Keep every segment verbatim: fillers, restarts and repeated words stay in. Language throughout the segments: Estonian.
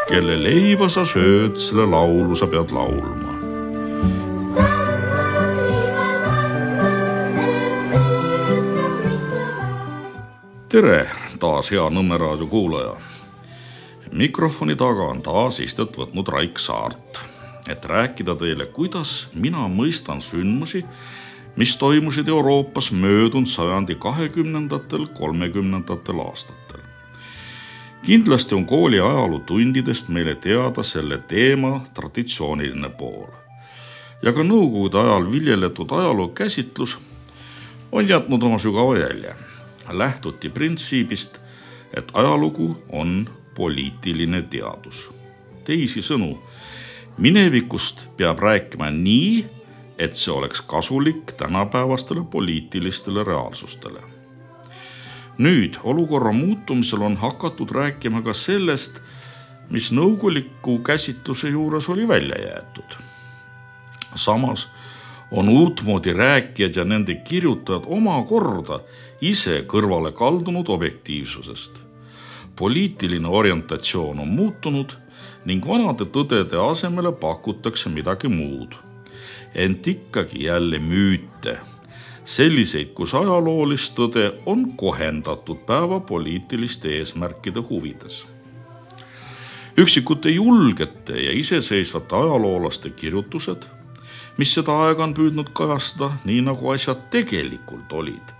Kelle leiba sa sööd, selle laulu sa pead laulma. Tere, taas hea Nõmme raadio kuulaja. Mikrofoni taga on taas istet võtnud Raik Saart, et rääkida teile, kuidas mina mõistan sündmusi, mis toimusid Euroopas möödunud sajandi kahekümnendatel, kolmekümnendatel aastatel. Kindlasti on kooli ajalootundidest meile teada selle teema traditsiooniline pool. Ja ka nõukogude ajal viljeletud ajaloo käsitlus on jätnud oma sügava jälje. Lähtuti printsiibist, et ajalugu on poliitiline teadus. Teisi sõnu, minevikust peab rääkima nii, et see oleks kasulik tänapäevastele poliitilistele reaalsustele. Nüüd olukorra muutumisel on hakatud rääkima ka sellest, mis nõukoguliku käsitluse juures oli välja jäetud. Samas on uutmoodi rääkijad ja nende kirjutajad oma korda ise kõrvale kaldunud objektiivsusest. Poliitiline orientatsioon on muutunud ning vanade tõdede asemele pakutakse midagi muud. Ent ikkagi jälle müüte. Selliseid, kus ajaloolist tõde on kohendatud päeva poliitiliste eesmärkide huvides. Üksikute julgete ja iseseisvate ajaloolaste kirjutused, mis seda aega on püüdnud kajastada, nii nagu asjad tegelikult olid,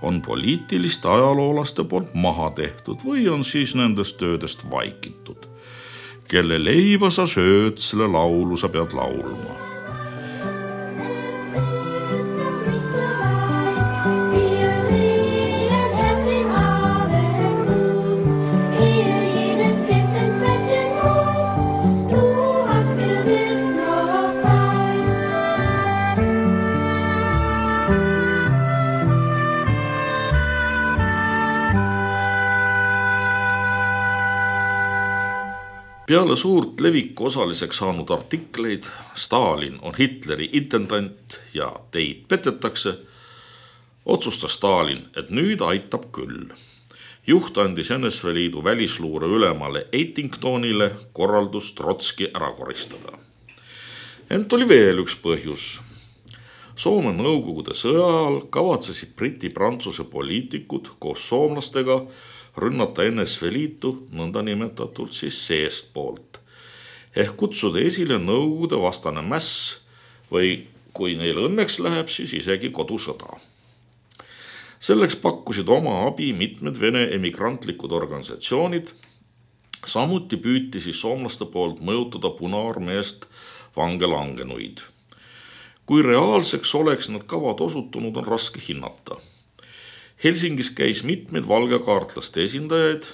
on poliitiliste ajaloolaste poolt maha tehtud või on siis nendest töödest vaikitud. Kelle leiba sa sööd, selle laulu sa pead laulma. Peale suurt leviku osaliseks saanud artikleid Stalin on Hitleri intendant ja teid petetakse, otsustas Stalin, et nüüd aitab küll. Juht andis N S V Liidu välisluure ülemale Eitingtonile korraldus Trotski ära koristada. Ent oli veel üks põhjus. Soome nõukogude sõja ajal kavatsesid Briti-Prantsuse poliitikud koos soomlastega rünnata N S V Liitu nõndanimetatud siis seest poolt. Ehk kutsuda esile nõukogude vastane mäss või kui neil õnneks läheb, siis isegi kodusõda. Selleks pakkusid oma abi mitmed Vene emigrantlikud organisatsioonid. Samuti püüti siis soomlaste poolt mõjutada Punaarmeest vange langenuid. Kui reaalseks oleks need kavad osutunud, on raske hinnata. Helsingis käis mitmed valgekaartlaste esindajaid,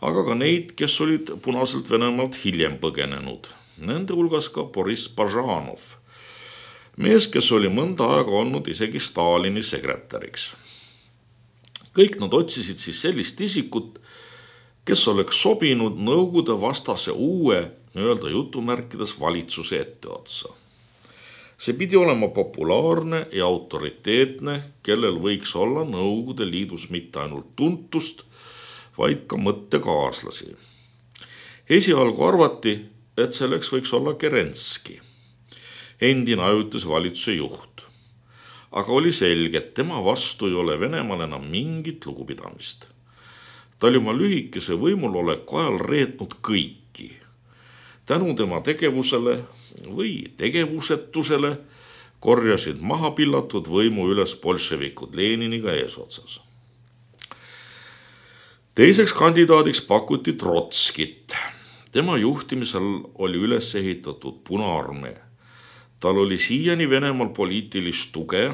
aga ka neid, kes olid Punaselt Venemaalt hiljem põgenenud. Nende hulgas ka Boris Bažanov, mees, kes oli mõnda aega olnud isegi Stalini sekretäriks. Kõik nad otsisid siis sellist isikut, kes oleks sobinud nõukogude vastase uue, nii-öelda jutumärkides valitsuse etteotsa. See pidi olema populaarne ja autoriteetne, kellel võiks olla Nõukogude Liidus mitte ainult tuntust, vaid ka mõttekaaslasi. Esialgu arvati, et selleks võiks olla Kerenski, endine ajutise valitsuse juht. Aga oli selge, et tema vastu ei ole Venemaal enam mingit lugupidamist. Ta oli oma lühikese võimuloleku ajal reetnud kõiki. Tänu tema tegevusele või tegevusetusele korjasid maha pillatud võimu üles bolševikud Leniniga eesotsas. Teiseks kandidaadiks pakuti Trotskit. Tema juhtimisel oli üles ehitatud Punaarmee. Tal oli siiani Venemaal poliitilist tuge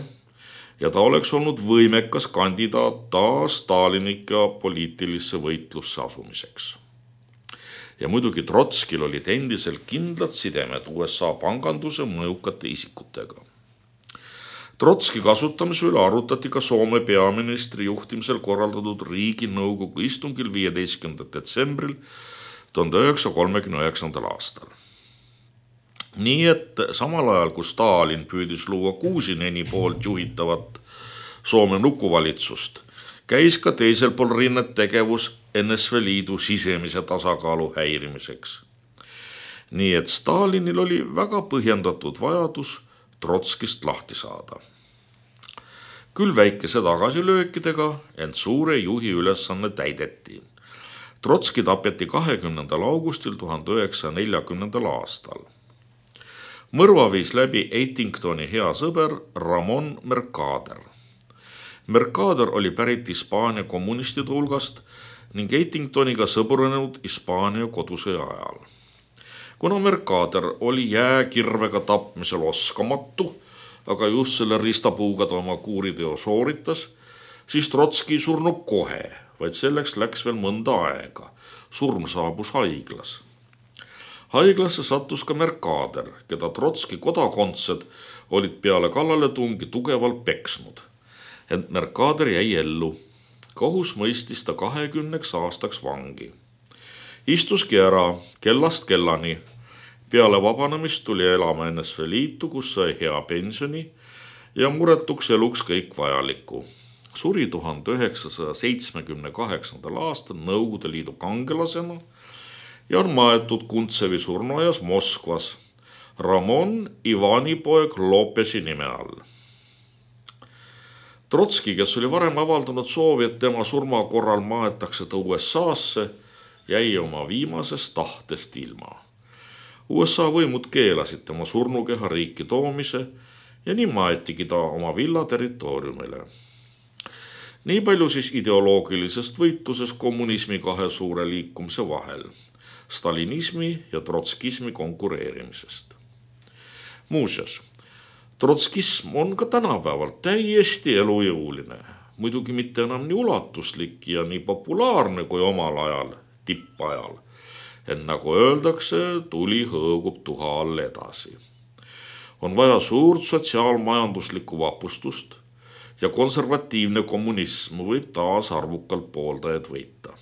ja ta oleks olnud võimekas kandidaat taas Stalinika poliitilisse võitlusse asumiseks. Ja muidugi Trotskil olid endiselt kindlad sidemed U S A panganduse mõjukate isikutega. Trotski kasutamise üle arutati ka Soome peaministri juhtimisel korraldatud Riiginõukogu istungil viieteistkümnendal detsembril tuhande üheksasaja kolmekümne üheksandal aastal. Nii et samal ajal, kui Stalin püüdis luua Kuusineni poolt juhitavat Soome nukuvalitsust, käis ka teisel pool rinnet tegevus N S V Liidu sisemise tasakaalu häirimiseks. Nii et Stalinil oli väga põhjendatud vajadus Trotskist lahti saada. Küll väikese tagasilöökidega, ent suure juhi ülesanne täideti. Trotski tapeti kahekümnendal augustil tuhande üheksasaja neljakümnendal aastal. Mõrva viis läbi Eitingtoni hea sõber Ramon Mercader. Mercader oli pärit Hispaania kommunistide hulgast ning Eitingtoniga sõbrunenud Hispaania kodusõja ajal. Kuna Mercader oli jääkirvega tapmisel oskamatu, aga just selle ristapuuga ta oma kuuriteo sooritas, siis Trotski ei surnud kohe, vaid selleks läks veel mõnda aega. Surm saabus haiglas. Haiglasse sattus ka Mercader, keda Trotski kodakondsed olid peale kallaletungi tugevalt peksnud. Ent Mercader jäi ellu. Kohus mõistis ta kahekümneks aastaks vangi. Istuski ära kellast kellani. Peale vabanemist tuli elama N S V Liitu, kus sai hea pensioni ja muretuks eluks kõik vajalikku. Suri tuhande üheksasaja seitsmekümne kaheksandal aastal Nõukogude Liidu kangelasena ja on maetud Kuntsevi surnuaias Moskvas Ramon Ivanipoeg Lopesi nime all. Trotski, kes oli varem avaldanud soovi, et tema surma korral maetakse ta U S A-sse, jäi oma viimasest tahtest ilma. U S A võimud keelasid tema surnukeha riiki toomise ja nii maetigi ta oma villa territooriumile. Nii palju siis ideoloogilisest võitluses kommunismi kahe suure liikumise vahel, stalinismi ja trotskismi konkureerimisest. Muuseas, trotskism on ka tänapäeval täiesti elujõuline, muidugi mitte enam nii ulatuslik ja nii populaarne kui omal ajal, tippajal. Et nagu öeldakse, tuli hõõgub tuha all edasi. On vaja suurt sotsiaalmajanduslikku vapustust ja konservatiivne kommunism võib taas arvukalt pooldajad võita.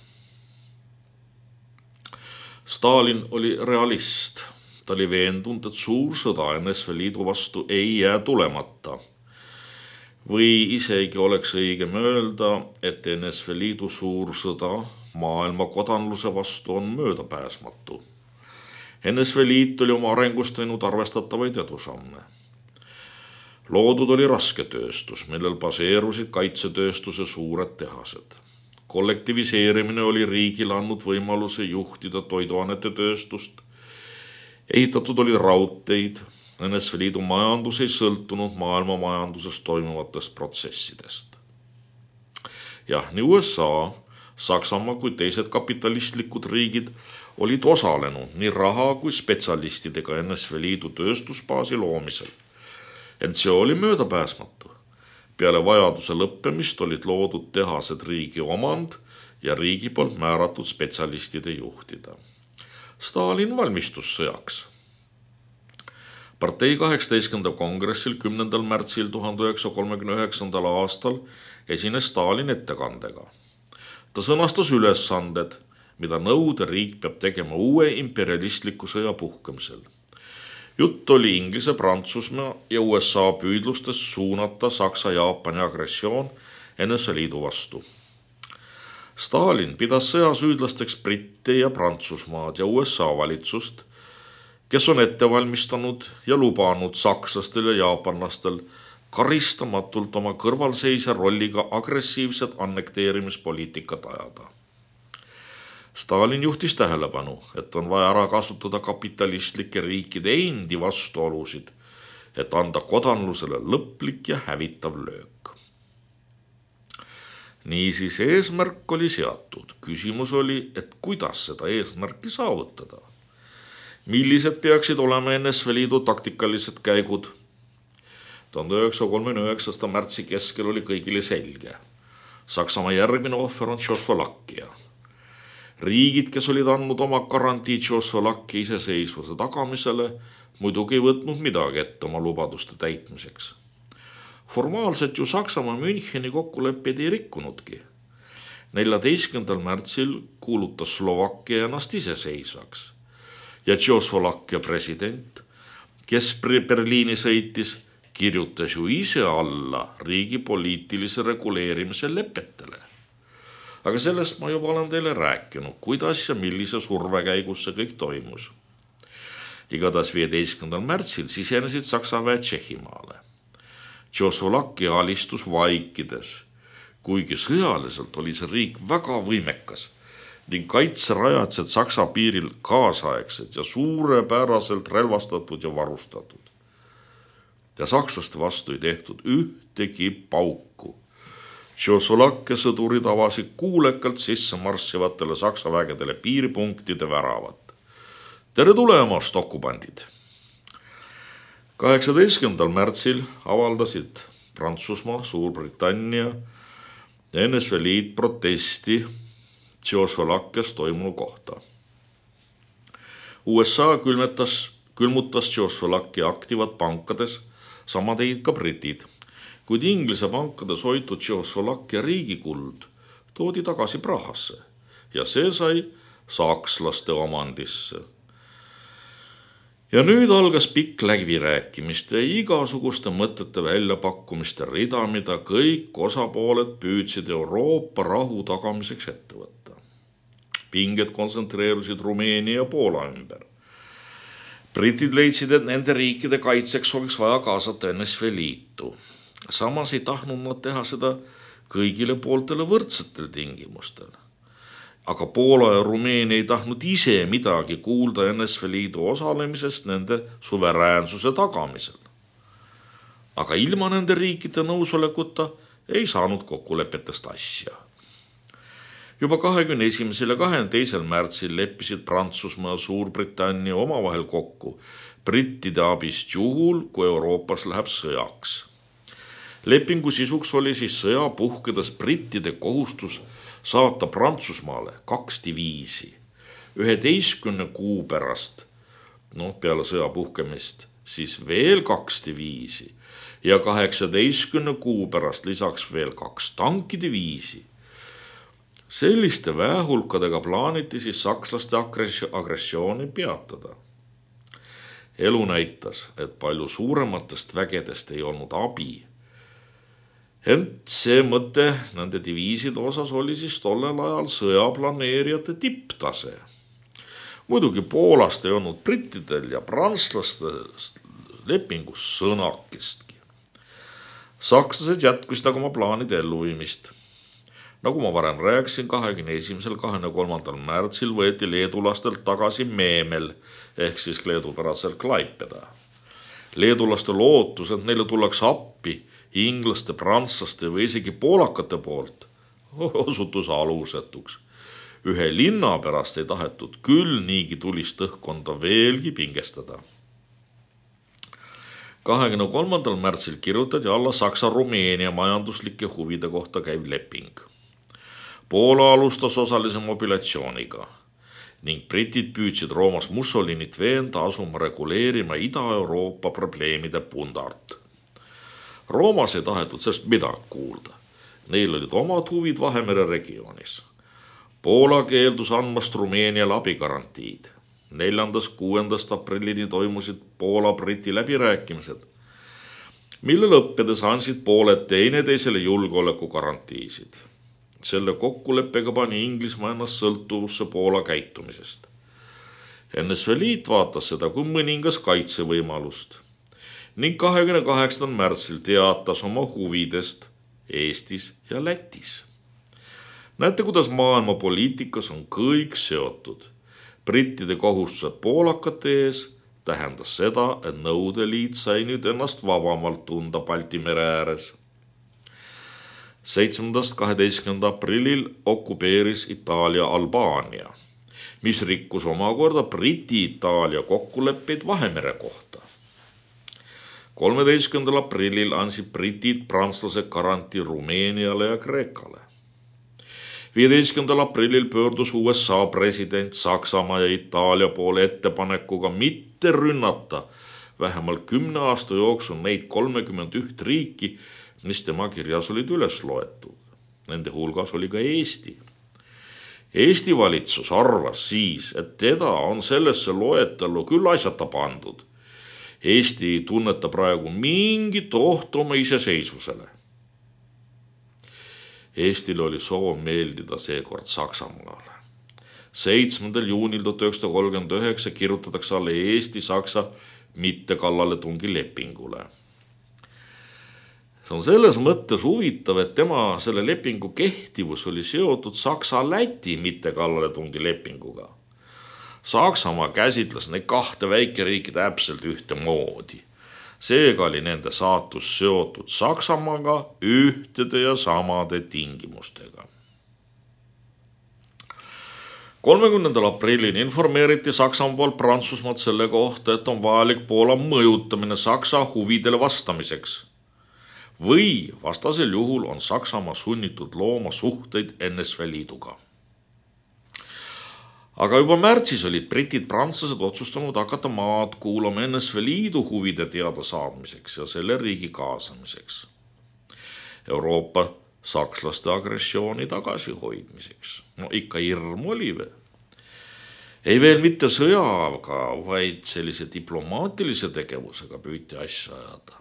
Stalin oli realist. Ta oli veendunud, et suur sõda N S V Liidu vastu ei jää tulemata. Või isegi oleks õigem öelda, et N S V Liidu suur sõda maailma kodanluse vastu on möödapääsmatu. N S V Liit oli oma arengust teinud arvestatavaid edusamme. Loodud oli rasketööstus, millel baseerusid kaitsetööstuse suured tehased. Kollektiviseerimine oli riigile andnud võimaluse juhtida toiduainete tööstust. Ehitatud oli raudteid. N S V Liidu majandus ei sõltunud maailma majanduses toimuvatest protsessidest. Jah, nii U S A, Saksamaa kui teised kapitalistlikud riigid olid osalenud nii raha kui spetsialistidega N S V Liidu tööstusbaasi loomisel. Ent see oli möödapääsmatu. Peale vajaduse lõppemist olid loodud tehased riigi omand ja riigi poolt määratud spetsialistide juhtida. Stalin valmistus sõjaks. Partei kaheksateistkümnendal kongressil kümnendal märtsil tuhande üheksasaja kolmekümne üheksandal aastal esines Stalin ettekandega. Ta sõnastas ülesanded, mida Nõukogude riik peab tegema uue imperialistliku sõja puhkemisel. Jutt oli Inglise, Prantsusmaa ja U S A püüdlustes suunata Saksa-Jaapani agressioon N S V Liidu vastu. Stalin pidas sõjasüüdlasteks Britte ja Prantsusmaad ja U S A valitsust, kes on ette valmistanud ja lubanud sakslastel ja jaapanlastel karistamatult oma kõrvalseisja rolliga agressiivset annekteerimispoliitikat ajada. Stalin juhtis tähelepanu, et on vaja ära kasutada kapitalistlike riikide endi vastuolusid, et anda kodanlusele lõplik ja hävitav löök. Niisiis eesmärk oli seatud. Küsimus oli, et kuidas seda eesmärki saavutada. Millised peaksid olema N S V Liidu taktikalised käigud? tuhande üheksasaja kolmekümne üheksanda märtsi keskel oli kõigile selge. Saksamaa järgmine ohver on Tšehhoslovakkia. Riigid, kes olid andnud oma garantii Tšehhoslovakkia iseseisvuse tagamisele, muidugi ei võtnud midagi ette oma lubaduste täitmiseks. Formaalselt ju Saksamaa Müncheni kokkuleppeid ei rikkunudki. neljateistkümnendal märtsil kuulutas Slovakkia ennast iseseisvaks ja Tšehhoslovakkia president, kes Berliini sõitis, kirjutas ju ise alla riigi poliitilise reguleerimise lepetele. Aga sellest ma juba olen teile rääkinud, kuidas ja millise surve käigus see kõik toimus. Igatahes viieteistkümnendal märtsil sisenesid Saksa väed Tšehhimaale. Tšehhoslovakkia alistus vaikides, kuigi sõjaliselt oli see riik väga võimekas ning kaitserajatsed Saksa piiril kaasaegsed ja suurepäraselt relvastatud ja varustatud. Ja sakslaste vastu ei tehtud ühtegi pauku. Tšehhoslovakkia sõdurid avasid kuulekalt sisse marssivatele Saksa vägedele piiripunktide väravat. Tere tulemast, okupandid! kaheksateistkümnendal märtsil avaldasid Prantsusmaa, Suurbritannia ja N S V Liit protesti Tšehhoslovakkias toimunu kohta. U S A külmetas, külmutas Tšehhoslovakkia aktivad pankades, sama tegid ka britid, kuid Inglise pankades hoitud Tšehhoslovakkia riigikuld toodi tagasi Prahasse ja see sai sakslaste omandisse. Ja nüüd algas pikk läbirääkimiste ja igasuguste mõtete väljapakkumiste rida, mida kõik osapooled püüdsid Euroopa rahu tagamiseks ette võtta. Pinged kontsentreerusid Rumeenia ja Poola ümber. Britid leidsid, et nende riikide kaitseks oleks vaja kaasata N S V Liitu. Samas ei tahtnud nad teha seda kõigile pooltele võrdsetel tingimustel. Aga Poola ja Rumeenia ei tahtnud ise midagi kuulda N S V Liidu osalemisest nende suveräänsuse tagamisel. Aga ilma nende riikide nõusolekuta ei saanud kokkulepetest asja. Juba kahekümne esimesel ja kahekümne teisel märtsil leppisid Prantsusmaa ja Suurbritannia omavahel kokku brittide abist juhul, kui Euroopas läheb sõjaks. Lepingu sisuks oli siis sõja puhkedes brittide kohustus saata Prantsusmaale kaks diviisi, üheteistkümne kuu pärast, noh peale sõja puhkemist, siis veel kaks diviisi ja kaheksateistkümne kuu pärast lisaks veel kaks tankidiviisi. Selliste väehulkadega plaaniti siis sakslaste agressiooni peatada. Elu näitas, et palju suurematest vägedest ei olnud abi. Ent see mõte nende diviiside osas oli siis tollel ajal sõjaplaneerijate tipptase. Muidugi Poolast ei olnud brittidel ja prantslaste lepingus sõnakestki. Sakslased jätkusid aga oma plaanide elluviimist. Nagu ma varem rääkisin, kahekümne esimesel ja kahekümne kolmandal märtsil võeti leedulastelt tagasi Meemel ehk siis leedupäraselt Klaipeda. Leedulaste lootus, et neile tullakse appi inglaste, prantslaste või isegi poolakate poolt, osutus alusetuks. Ühe linna pärast ei tahetud küll niigi tulist õhkkonda veelgi pingestada. kahekümne kolmandal märtsil kirjutati alla Saksa-Rumeenia majanduslike huvide kohta käiv leping. Poola alustas osalise mobilatsiooniga ning britid püüdsid Roomas Mussolinit veenda asuma reguleerima Ida-Euroopa probleemide pundart. Roomas ei tahetud sellest midagi kuulda. Neil olid omad huvid Vahemere regioonis. Poola keeldus andmast Rumeeniale abigarantiid. neljandast kuuendast aprillini toimusid Poola-Briti läbirääkimised, mille lõppedes andsid pooled teineteisele julgeoleku garantiisid. Selle kokkuleppega pani Inglismaa ennast sõltuvusse Poola käitumisest. N S V Liit vaatas seda kui mõningas kaitsevõimalust ning kahekümne kaheksandal märtsil teatas oma huvidest Eestis ja Lätis. Näete, kuidas maailma poliitikas on kõik seotud. Brittide kohustused poolakate ees tähendas seda, et Nõudeliit sai nüüd ennast vabamalt tunda Balti mere ääres. seitsmendast kaheteistkümnenda aprillil okupeeris Itaalia Albaania, mis rikkus omakorda Briti-Itaalia kokkuleppeid Vahemere kohta. kolmeteistkümnendal aprillil andsid britid prantslased garantii Rumeeniale ja Kreekale. viieteistkümnendal aprillil pöördus U S A president Saksamaa ja Itaalia poole ettepanekuga mitte rünnata vähemalt kümne aasta jooksul neid kolmekümmend üht riiki, mis tema kirjas olid üles loetud. Nende hulgas oli ka Eesti. Eesti valitsus arvas siis, et teda on sellesse loetellu küll asjata pandud. Eesti ei tunneta praegu mingit ohtu oma iseseisvusele. Eestil oli soov meeldida seekord Saksamaale. seitsmendal juunil tuhat üheksasada kolmkümmend üheksa kirjutatakse alla Eesti-Saksa mittekallaletungi lepingule. See on selles mõttes huvitav, et tema selle lepingu kehtivus oli seotud Saksa-Läti mittekallaletungi lepinguga. Saksamaa käsitles neid kahte väikeriiki täpselt ühtemoodi. Seega oli nende saatus seotud Saksamaaga ühtede ja samade tingimustega. kolmekümnendal aprillil informeeriti Saksamaa poolt Prantsusmaad selle kohta, et on vajalik Poola mõjutamine Saksa huvidele vastamiseks. Või vastasel juhul on Saksamaa sunnitud looma suhteid N S V Liiduga. Aga juba märtsis olid britid prantslased otsustanud hakata maad kuulama N S V Liidu huvide teada saamiseks ja selle riigi kaasamiseks. Euroopa sakslaste agressiooni tagasihoidmiseks. No ikka hirm oli või? Ei veel mitte sõjaga, vaid sellise diplomaatilise tegevusega püüti asja ajada.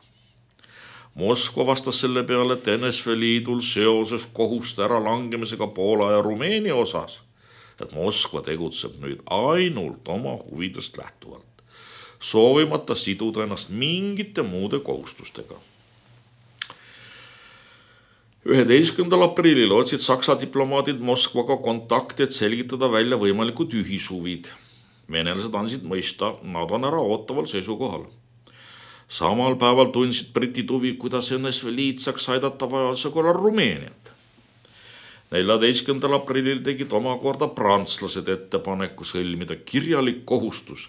Moskva vastas selle peale, et N S V Liidul seoses kohuste ära langemisega Poola ja Rumeenia osas, et Moskva tegutseb nüüd ainult oma huvidest lähtuvalt, soovimata siduda ennast mingite muude kohustustega. üheteistkümnendal aprillil otsid Saksa diplomaadid Moskvaga kontakti, et selgitada välja võimalikud ühishuvid. Venelased andsid mõista, nad on ära ootaval seisukohal. Samal päeval tundsid britid huvi, kuidas N S V Liit saaks aidata vajaduse korral Rumeeniat. neljateistkümnendal aprillil tegid omakorda prantslased ettepaneku sõlmida kirjalik kohustus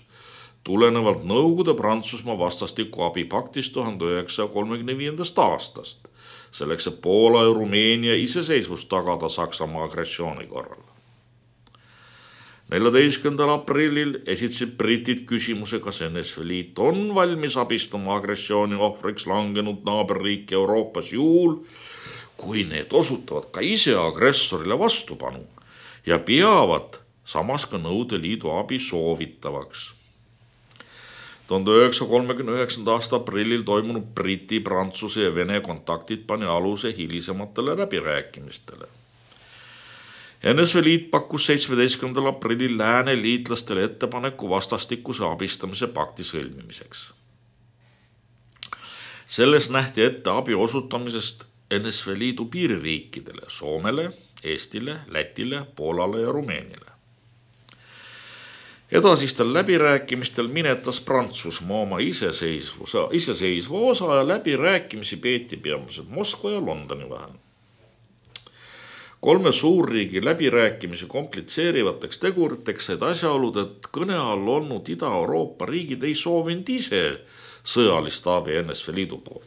tulenevalt Nõukogude Prantsusmaa vastastiku abipaktist tuhande üheksasaja kolmekümne viiendast aastast, selleks, et Poola ja Rumeenia iseseisvust tagada Saksamaa agressiooni korral. neljateistkümnendal aprillil esitasid britid küsimuse, kas N S V Liit on valmis abistama agressiooni ohvriks langenud naaberriiki Euroopas juhul, kui need osutavad ka ise agressorile vastupanu ja peavad samas ka Nõukogude Liidu abi soovitavaks. tuhande üheksasaja kolmekümne üheksanda aasta aprillil toimunud Briti, Prantsuse ja Vene kontaktid pani aluse hilisematele läbirääkimistele. N S V Liit pakkus seitsmeteistkümnendal aprillil lääne liitlastele ettepaneku vastastikuse abistamise pakti sõlmimiseks. Selles nähti ette abi osutamisest N S V Liidu piiririikidele, Soomele, Eestile, Lätile, Poolale ja Rumeeniale. Edasistel läbirääkimistel minetas Prantsusmaa oma iseseisvuse, iseseisva osa ja läbirääkimisi peeti peamiselt Moskva ja Londoni vahel. Kolme suurriigi läbirääkimisi komplitseerivateks teguriteks said asjaolud, et kõne all olnud Ida-Euroopa riigid ei soovinud ise sõjalist abi N S V Liidu poolt.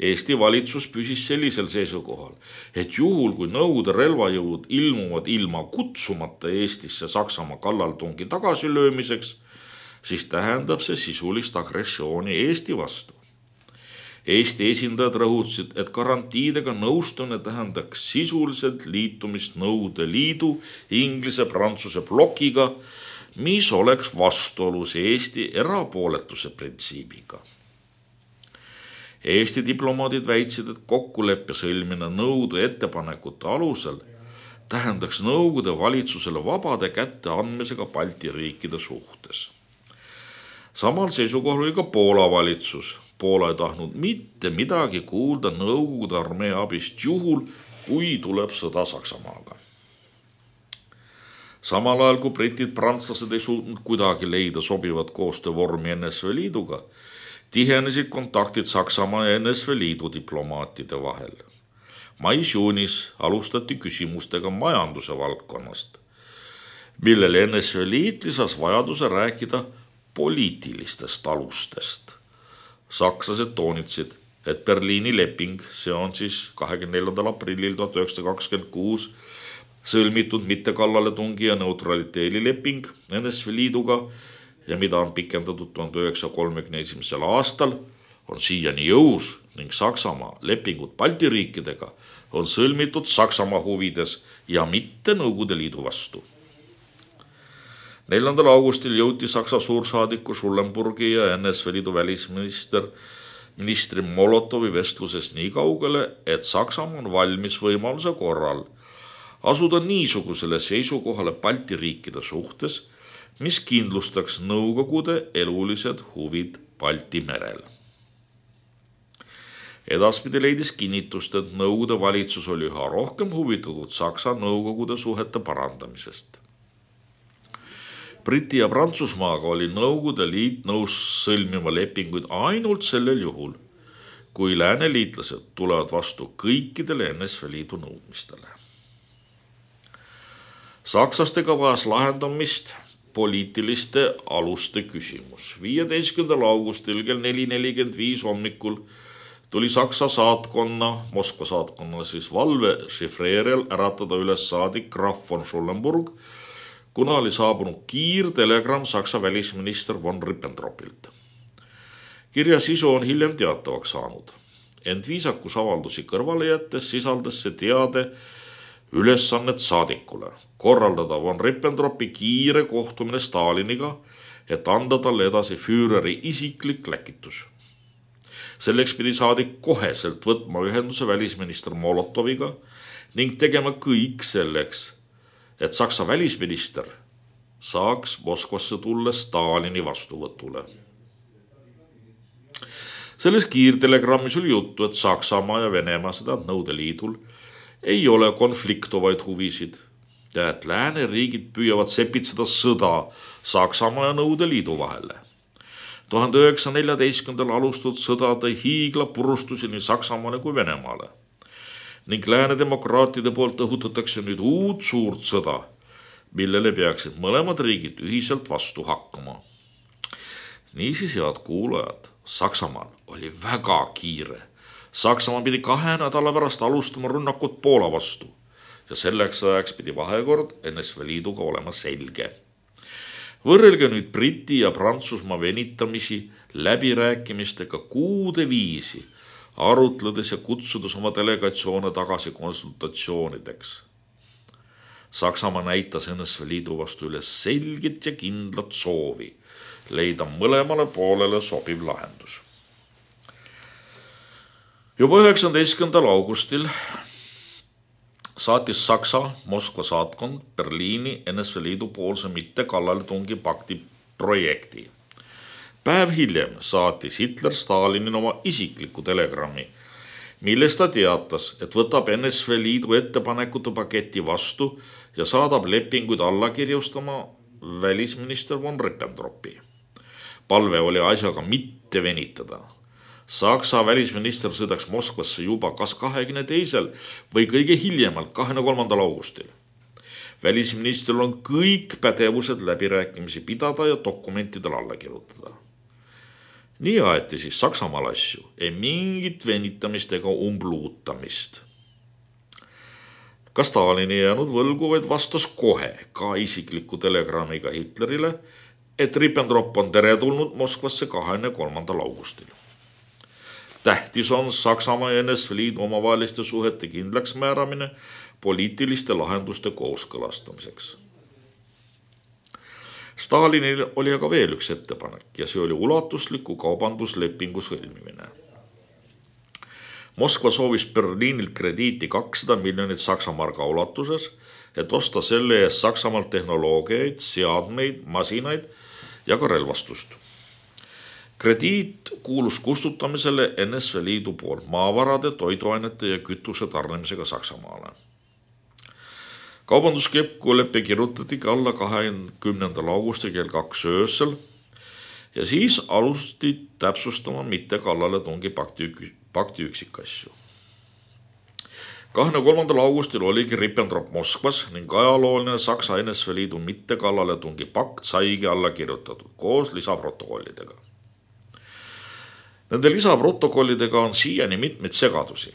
Eesti valitsus püsis sellisel seisukohal, et juhul kui Nõukogude relvajõud ilmuvad ilma kutsumata Eestisse Saksamaa kallaletungi tagasilöömiseks, siis tähendab see sisulist agressiooni Eesti vastu. Eesti esindajad rõhutasid, et garantiidega nõustumine tähendaks sisuliselt liitumist Nõukogude Liidu, Inglise, Prantsuse blokiga, mis oleks vastuolus Eesti erapooletuse printsiibiga. Eesti diplomaadid väitsid, et kokkuleppe sõlmine Nõukogude ettepanekute alusel tähendaks Nõukogude valitsusele vabade kätte andmisega Balti riikide suhtes. Samal seisukohal oli ka Poola valitsus. Poola ei tahtnud mitte midagi kuulda Nõukogude armee abist juhul, kui tuleb sõda Saksamaaga. Samal ajal, kui britid, prantslased ei suutnud kuidagi leida sobivat koostöövormi N S V Liiduga, tihenesid kontaktid Saksamaa ja N S V Liidu diplomaatide vahel. Mais-juunis alustati küsimustega majanduse valdkonnast, millele N S V Liit lisas vajaduse rääkida poliitilistest alustest. Sakslased toonitsid, et Berliini leping, see on siis kahekümne neljandal aprillil tuhat üheksasada kakskümmend kuus sõlmitud mittekallaletungi ja neutraliteedi leping N S V Liiduga ja mida on pikendatud tuhande üheksasaja kolmekümne esimesel aastal, on siiani jõus ning Saksamaa lepingud Balti riikidega on sõlmitud Saksamaa huvides ja mitte Nõukogude Liidu vastu. neljandal augustil jõuti Saksa suursaadiku Schulenburgi ja N S V Liidu välisminister ministri Molotovi vestluses nii kaugele, et Saksamaa on valmis võimaluse korral asuda niisugusele seisukohale Balti riikide suhtes, mis kindlustaks Nõukogude elulised huvid Balti merel. Edaspidi leidis kinnitust, et Nõukogude valitsus oli üha rohkem huvitatud Saksa-Nõukogude suhete parandamisest. Briti ja Prantsusmaaga oli Nõukogude liit nõus sõlmima lepinguid ainult sellel juhul, kui lääneliitlased tulevad vastu kõikidele N S V Liidu nõudmistele. Saksastega vajas lahendamist poliitiliste aluste küsimus. viieteistkümnendal augustil kell neli nelikümmend viis hommikul tuli Saksa saatkonna, Moskva saatkonna siis valve šifreerijal äratada üles saadik Graf von Schulenburg, kuna oli saabunud kiirtelegramm Saksa välisminister von Ribbentropilt. Kirja sisu on hiljem teatavaks saanud. Ent viisakusavaldusi kõrvale jättes sisaldas see teade ülesannet saadikule, korraldada von Ribbentropi kiire kohtumine Staliniga, et anda talle edasi Führeri isiklik läkitus. Selleks pidi saadik koheselt võtma ühenduse välisminister Molotoviga ning tegema kõik selleks, et Saksa välisminister saaks Moskvasse tulla Stalini vastuvõtule. Selles kiirtelegrammis oli juttu, et Saksamaa ja Venemaa, seda Nõukogude Liidul, ei ole konfliktovaid huvisid ja et lääneriigid püüavad sepitseda sõda Saksamaa ja Nõukogude Liidu vahele. tuhande üheksasaja neljateistkümnendal alustatud sõda tõi hiigla purustusi nii Saksamaale kui Venemaale ning lääne demokraatide poolt õhutatakse nüüd uut suurt sõda, millele peaksid mõlemad riigid ühiselt vastu hakkama. Niisiis, head kuulajad, Saksamaal oli väga kiire. Saksamaa pidi kahe nädala pärast alustama rünnakut Poola vastu ja selleks ajaks pidi vahekord N S V Liiduga olema selge. Võrrelge nüüd Briti ja Prantsusmaa venitamisi läbirääkimistega kuude viisi, arutledes ja kutsudes oma delegatsioone tagasi konsultatsioonideks. Saksamaa näitas N S V Liidu vastu üles selget ja kindlat soovi leida mõlemale poolele sobiv lahendus. Juba üheksateistkümnendal augustil saatis Saksa Moskva saatkond Berliini N S V Liidu poolse mitte kallaletungi pakti projekti. Päev hiljem saatis Hitler Stalinile oma isikliku telegrammi, milles ta teatas, et võtab N S V Liidu ettepanekute paketi vastu ja saadab lepinguid alla kirjustama välisminister von Ribbentropi. Palve oli asjaga mitte venitada. Saksa välisminister sõidaks Moskvasse juba kas kahekümne teisel või kõige hiljemalt kahekümne kolmandal augustil. Välisministril on kõik pädevused läbirääkimisi pidada ja dokumentidele alla kirjutada. Nii aeti siis Saksamaal asju, ei mingit venitamist ega umbluutamist. Ka Stalin ei jäänud võlgu, vaid vastas kohe ka isikliku telegrammiga Hitlerile, et Ribbentrop on teretulnud Moskvasse kahekümne kolmandal augustil. Tähtis on Saksamaa ja N S V Liidu omavaheliste suhete kindlaks määramine poliitiliste lahenduste kooskõlastamiseks. Stalinil oli aga veel üks ettepanek ja see oli ulatusliku kaubanduslepingu sõlmimine. Moskva soovis Berliinilt krediiti kakssada miljonit Saksamarga ulatuses, et osta selle eest Saksamaalt tehnoloogiaid, seadmeid, masinaid ja ka relvastust. Krediit kuulus kustutamisele N S V Liidu poolt maavarade, toiduainete ja kütuse tarnimisega Saksamaale. Kaubanduskokkulepe kirjutatigi alla kahekümnendal augustil kell kaks öösel ja siis alusti täpsustama mitte kallaletungi pakti, pakti üksikasju. kahekümne kolmandal augustil oligi Ribbentrop Moskvas ning ajalooline Saksa N S V Liidu mitte kallaletungi pakt saigi alla kirjutatud koos lisaprotokollidega. Nende lisaprotokollidega on siiani mitmeid segadusi.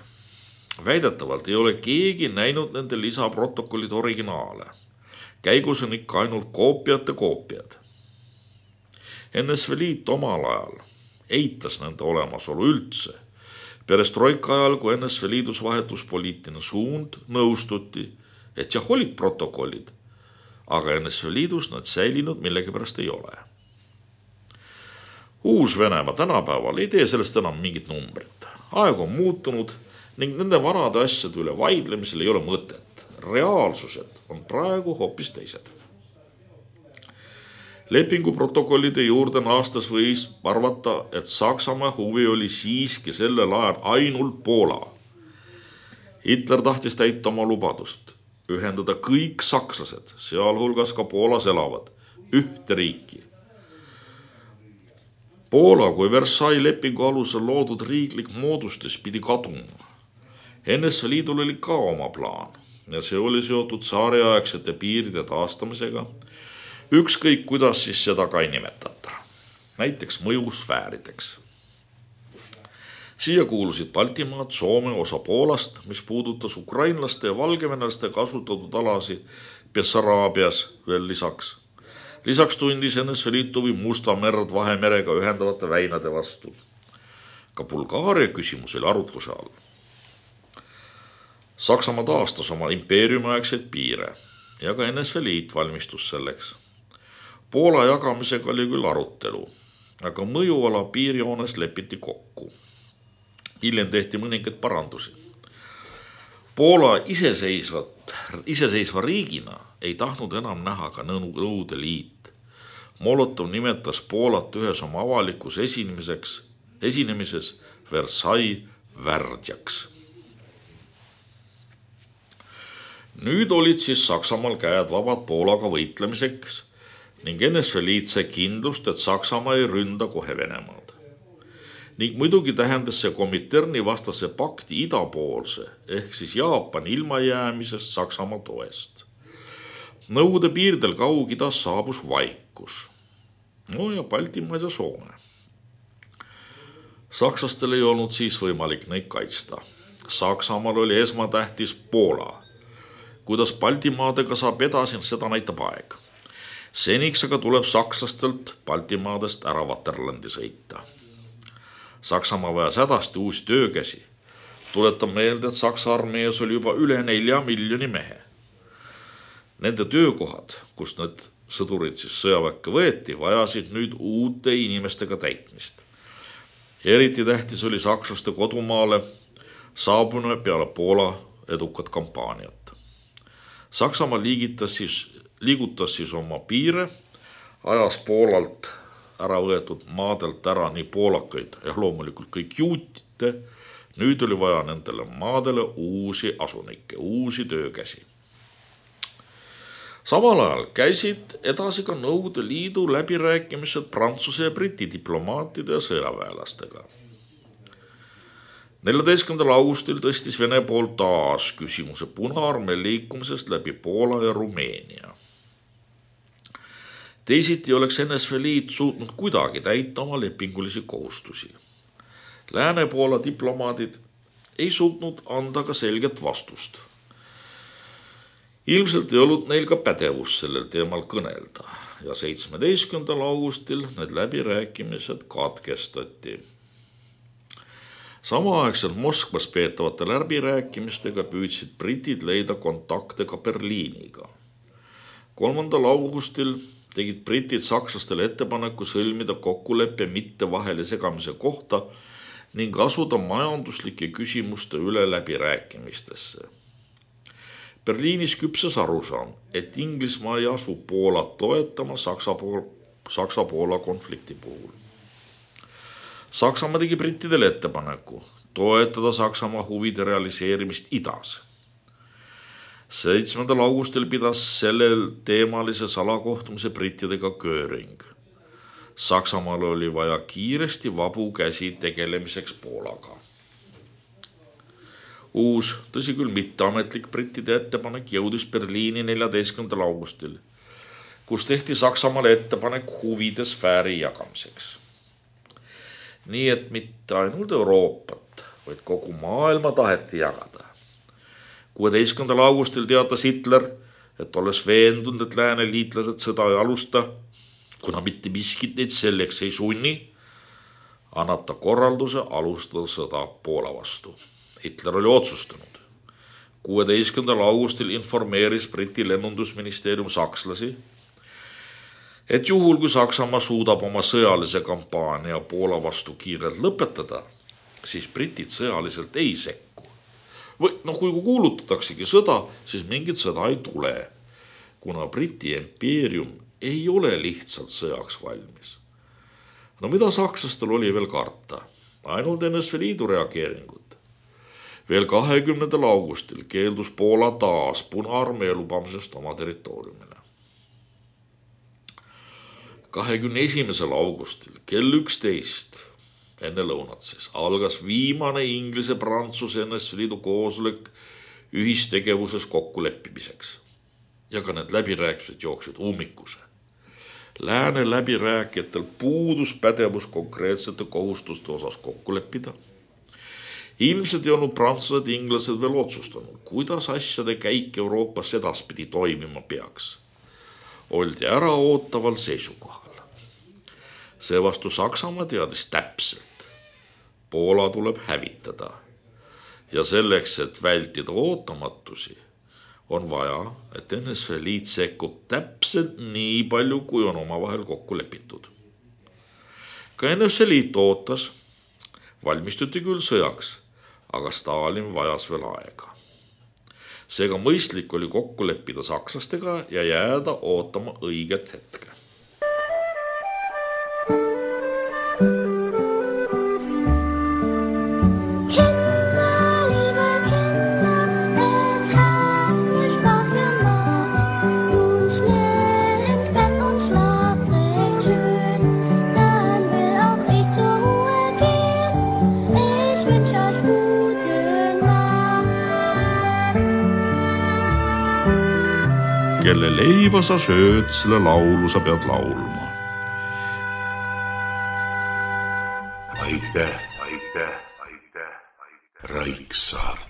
Väidetavalt ei ole keegi näinud nende lisaprotokollide originaale. Käigus on ikka ainult koopiate koopiad. N S V Liit omal ajal eitas nende olemasolu üldse. Perestroika ajal, kui N S V Liidus vahetus poliitiline suund, nõustuti, et jah olid protokollid, aga N S V Liidus nad säilinud millegipärast ei ole. Uus-Venemaa tänapäeval ei tee sellest enam mingit numbrit. Aeg on muutunud ning nende vanade asjade üle vaidlemisel ei ole mõtet. Reaalsused on praegu hoopis teised. Lepingu protokollide juurde naastes võis arvata, et Saksamaa huvi oli siiski sellel ajal ainult Poola. Hitler tahtis täita oma lubadust, ühendada kõik sakslased, sealhulgas ka Poolas elavad, ühte riiki. Poola kui Versailles lepingu alusel loodud riiklik moodustis pidi kaduma. N S V Liidul oli ka oma plaan ja see oli seotud tsaariaegsete piiride taastamisega, ükskõik kuidas siis seda ka ei nimetata, näiteks mõjusfäärideks. Siia kuulusid Baltimaad, Soome, osa Poolast, mis puudutas ukrainlaste ja valgevenelaste kasutatud alasi Bessaraabias veel lisaks. Lisaks tundis N S V Liit huvi Musta merd Vahemerega ühendavate väinade vastu. Ka Bulgaaria küsimus oli arutluse all. Saksamaa taastas oma impeeriumiaegseid piire ja ka N S V Liit valmistus selleks. Poola jagamisega oli küll arutelu, aga mõjuala piirjoones lepiti kokku. Hiljem tehti mõningaid parandusi. Poola iseseisvat, iseseisva riigina ei tahtnud enam näha ka Nõukogude Liit. Molotov nimetas Poolat ühes oma avalikus esinemiseks, esinemises Versailles värdjaks. Nüüd olid siis Saksamaal käed vabad Poolaga võitlemiseks ning N S V Liit sai kindlust, et Saksamaa ei ründa kohe Venemaad. Ning muidugi tähendas see Kominterni vastase pakti idapoolse ehk siis Jaapani ilmajäämisest Saksamaa toest. Nõukogude piirdel Kaug-Idas saabus vaikus. No ja Baltimaad ja Soome. Sakslastel ei olnud siis võimalik neid kaitsta. Saksamaal oli esmatähtis Poola. Kuidas Baltimaadega saab edasi, seda näitab aeg. Seniks aga tuleb sakslastelt Baltimaadest ära Vaterlandi sõita. Saksamaa vajas hädasti uusi töökäsi. Tuletan meelde, et Saksa armees oli juba üle nelja miljoni mehe. Nende töökohad, kus need sõdurid siis sõjaväkke võeti, vajasid nüüd uute inimestega täitmist. Eriti tähtis oli sakslaste kodumaale saabune peale Poola edukat kampaaniat. Saksamaa liigitas siis, liigutas siis oma piire, ajas Poolalt ära võetud maadelt ära nii poolakaid ja loomulikult kõik juutite. Nüüd oli vaja nendele maadele uusi asunikke, uusi töökäsi. Samal ajal käisid edasi ka Nõukogude Liidu läbirääkimised Prantsuse ja Briti diplomaatide ja sõjaväelastega. neljateistkümnendal augustil tõstis Vene pool taas küsimuse Punaarmee liikumisest läbi Poola ja Rumeenia. Teisiti oleks N S V Liit suutnud kuidagi täita oma lepingulisi kohustusi. Lääne-Poola diplomaadid ei suutnud anda ka selget vastust. Ilmselt ei olnud neil ka pädevus sellel teemal kõnelda ja seitsmeteistkümnendal augustil need läbirääkimised katkestati. Samaaegselt Moskvas peetavate läbirääkimistega püüdsid britid leida kontakte ka Berliiniga. kolmandal augustil tegid britid sakslastele ettepaneku sõlmida kokkuleppe mitte vahele segamise kohta ning asuda majanduslike küsimuste üle läbirääkimistesse. Berliinis küpses arusaam, et Inglismaa ei asu Poolat toetama Saksa-Poola konflikti puhul. Saksamaa tegi brittidele ettepaneku toetada Saksamaa huvide realiseerimist idas. seitsmendal augustil pidas sellel teemalise salakohtumise brittidega Göring. Saksamaal oli vaja kiiresti vabu käsi tegelemiseks Poolaga. Uus, tõsi küll mitteametlik brittide ettepanek jõudis Berliini neljateistkümnendal augustil, kus tehti Saksamaale ettepanek huvide sfääri jagamiseks. Nii et mitte ainult Euroopat, vaid kogu maailma taheti jagada. kuueteistkümnendal augustil teatas Hitler, et olles veendunud, et lääne liitlased sõda ei alusta, kuna mitte miskit neid selleks ei sunni, annab ta korralduse alustada sõda Poola vastu. Hitler oli otsustanud. kuueteistkümnendal augustil informeeris Briti lennundusministeerium sakslasi, et juhul kui Saksamaa suudab oma sõjalise kampaania Poola vastu kiirelt lõpetada, siis britid sõjaliselt ei sekku. Või noh, kui kuulutataksegi sõda, siis mingit sõda ei tule, kuna Briti impeerium ei ole lihtsalt sõjaks valmis. No mida sakslastel oli veel karta? Ainult N S V Liidu reageeringut. Veel kahekümnendal augustil keeldus Poola taas Punaarmee lubamisest oma territooriumile. kahekümne esimesel augustil kell üksteist enne lõunat siis algas viimane Inglise-Prantsuse N S V Liidu koosolek ühistegevuses kokkuleppimiseks. Ja ka need läbirääkimised jooksid ummikuse. Lääne läbirääkijatel puudus pädevus konkreetsete kohustuste osas kokku leppida. Ilmselt ei olnud prantslased ja inglased veel otsustanud, kuidas asjade käik Euroopas edaspidi toimima peaks. Oldi ära ootaval seisukohal. Seevastu Saksamaa teadis täpselt. Poola tuleb hävitada. Ja selleks, et vältida ootamatusi, on vaja, et N S V Liit sekkub täpselt nii palju, kui on omavahel kokku lepitud. Ka N S V Liit ootas, valmistuti küll sõjaks, aga Stalin vajas veel aega. Seega mõistlik oli kokku leppida sakslastega ja jääda ootama õiget hetke. Kelle leiba sa sööd, selle laulu sa pead laulma. Aitäh, aitäh, aitäh, aitäh. Raiksaart.